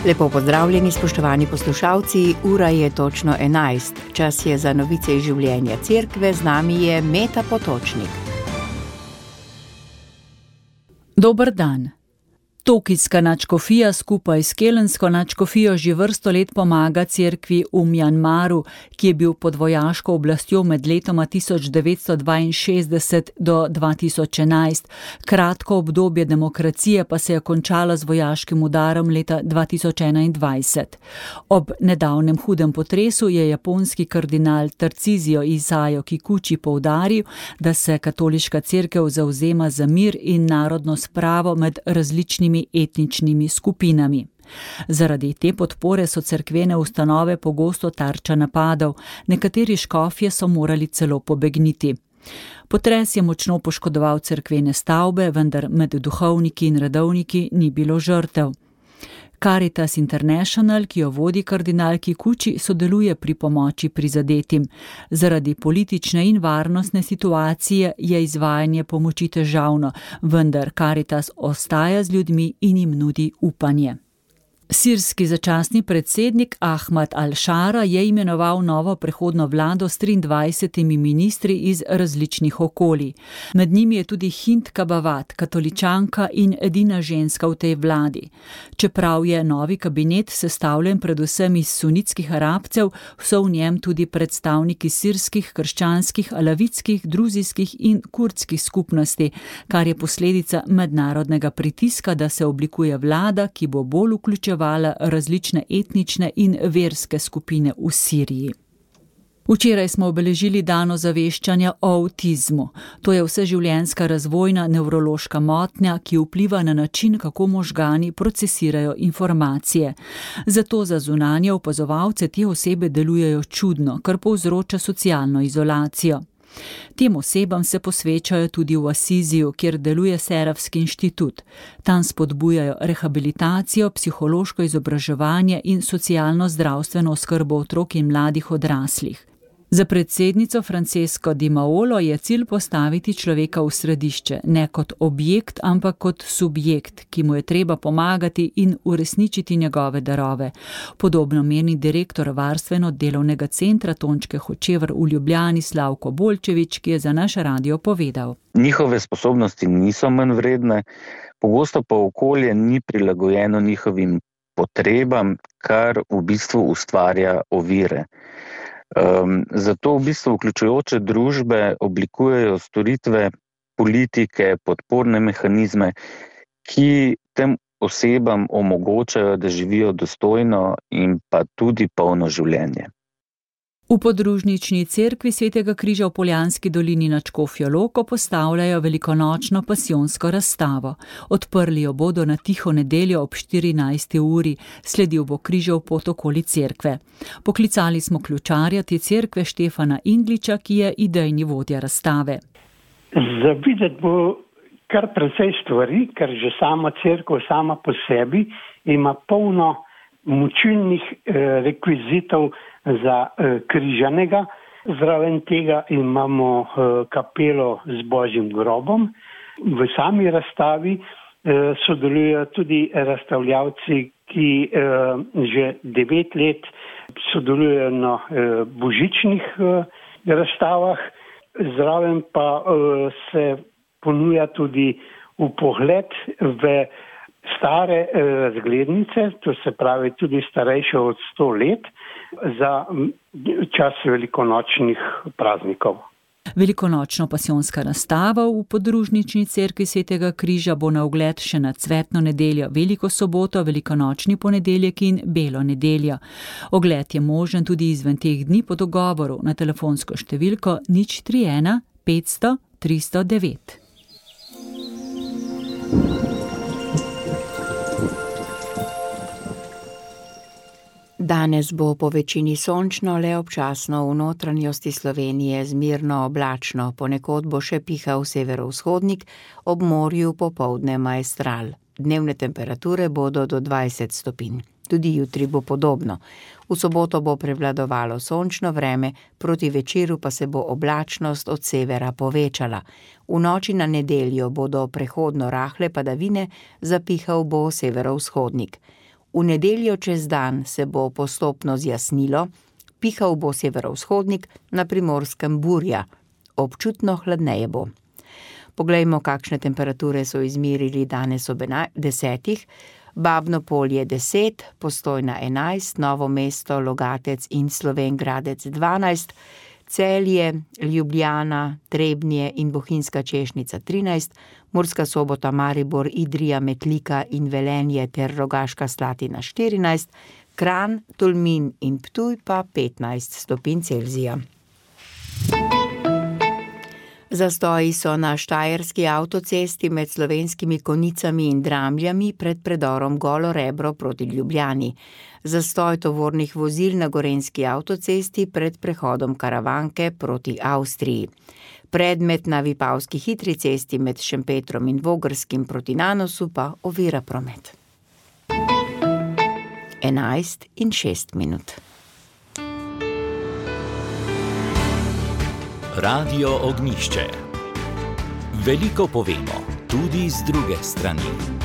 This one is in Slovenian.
Lepo pozdravljeni, spoštovani poslušalci, ura je točno 11. Čas je za novice iz življenja cerkve, z nami je Meta Potočnik. Dober dan. Tokijska nadškofija skupaj s kelensko nadškofijo že vrsto let pomaga cerkvi v Mjanmaru, ki je bil pod vojaško oblastjo med letoma 1962 do 2011. Kratko obdobje demokracije pa se je končalo z vojaškim udarom leta 2021. Ob nedavnem hudem potresu je japonski kardinal Tarcísio Isayo Kikuchi poudaril, da se katoliška cerkev zavzema za mir in narodno spravo med različnimi etničnimi skupinami. Zaradi te podpore so cerkvene ustanove pogosto tarča napadov, nekateri škofje so morali celo pobegniti. Potres je močno poškodoval cerkvene stavbe, vendar med duhovniki in redovniki ni bilo žrtev. Caritas International, ki jo vodi kardinal Kikuchi, sodeluje pri pomoči prizadetim. Zaradi politične in varnostne situacije je izvajanje pomoči težavno, vendar Caritas ostaja z ljudmi in jim nudi upanje. Sirski začasni predsednik Ahmad al-Šara je imenoval novo prehodno vlado s 23 ministri iz različnih okolij. Med njimi je tudi Hind Kabavat, katoličanka in edina ženska v tej vladi. Čeprav je novi kabinet sestavljen predvsem iz sunitskih Arabcev, so v njem tudi predstavniki sirskih, krščanskih, alavitskih, druzijskih in kurdskih skupnosti, kar je posledica mednarodnega pritiska, da se oblikuje vlada, ki bo bolj vključevala različne etnične in verske skupine v Siriji. Včeraj smo obeležili dan ozaveščanja o avtizmu. To je vseživljenjska razvojna nevrološka motnja, ki vpliva na način, kako možgani procesirajo informacije. Zato za zunanje opazovalce te osebe delujejo čudno, kar povzroča socialno izolacijo. Tem osebam se posvečajo tudi v Asiziju, kjer deluje Serafski inštitut. Tam spodbujajo rehabilitacijo, psihološko izobraževanje in socialno zdravstveno oskrbo otrok in mladih odraslih. Za predsednico Francesco Di Maolo je cilj postaviti človeka v središče, ne kot objekt, ampak kot subjekt, ki mu je treba pomagati in uresničiti njegove darove. Podobno meni direktor varstveno-delovnega centra Tončke Hočevar v Ljubljani Slavko Bolčevič, ki je za naš radio povedal. Njihove sposobnosti niso manj vredne, pogosto pa okolje ni prilagojeno njihovim potrebam, kar v bistvu ustvarja ovire. Zato v bistvu vključujoče družbe oblikujejo storitve, politike, podporne mehanizme, ki tem osebam omogočajo, da živijo dostojno in pa tudi polno življenje. V podružnični cerkvi Svetega križa v Poljanski dolini nad Škofjo Loko postavljajo velikonočno pasijonsko razstavo. Odprli jo bodo na tiho nedeljo ob 14. uri, sledil bo križev pot okoli cerkve. Poklicali smo ključarja te cerkve Štefana Ingliča, ki je idejni vodja razstave. Za videti bo kar precej stvari, ker že sama cerkev sama po sebi ima polno mučilnih rekvizitov za križanega. Zraven tega imamo kapelo z Božjim grobom. V sami razstavi sodelujejo tudi razstavljavci, ki že 9 let sodelujejo na božičnih razstavah. Zraven pa se ponuja tudi vpogled v stare razglednice, to se pravi tudi starejše od 100 let, za čas velikonočnih praznikov. Velikonočno pasijonska razstava v podružnični cerkvi Svetega križa bo na ogled še na cvetno nedeljo, veliko soboto, velikonočni ponedeljek in belo nedeljo. Ogled je možen tudi izven teh dni po dogovoru na telefonsko številko 031 500 309. Danes bo po večini sončno, le občasno v notranjosti Slovenije zmerno oblačno, ponekod bo še pihal severovzhodnik, ob morju popoldne maestral. Dnevne temperature bodo do 20 stopinj. Tudi jutri bo podobno. V soboto bo prevladovalo sončno vreme, proti večeru pa se bo oblačnost od severa povečala. V noči na nedeljo bodo prehodno rahle padavine, zapihal bo severovzhodnik. V nedeljo čez dan se bo postopno zjasnilo, pihal bo severovzhodnik, na Primorskem burja. Občutno hladneje bo. Poglejmo, kakšne temperature so izmerili danes ob 10. Babno Polje 10, Postojna 11, Novo mesto, Logatec in Slovenj Gradec 12, Celje, Ljubljana, Trebnje in Bohinjska Češnica 13, Murska Sobota, Maribor, Idrija, Metlika in Velenje ter Rogaška Slatina 14, Kranj, Tolmin in Ptuj pa 15 stopinj Celzija. Zastoji so na štajerski avtocesti med Slovenskimi Konjicami in Dramljami pred predorom Golo Rebro proti Ljubljani. Zastoj tovornih vozil na gorenjski avtocesti pred prehodom Karavanke proti Avstriji. Predmet na Vipavski hitri cesti med Šempetrom in Vogrskim proti Nanosu pa ovira promet. 11:06. Radio Ognjišče. Veliko povemo, tudi z druge strani.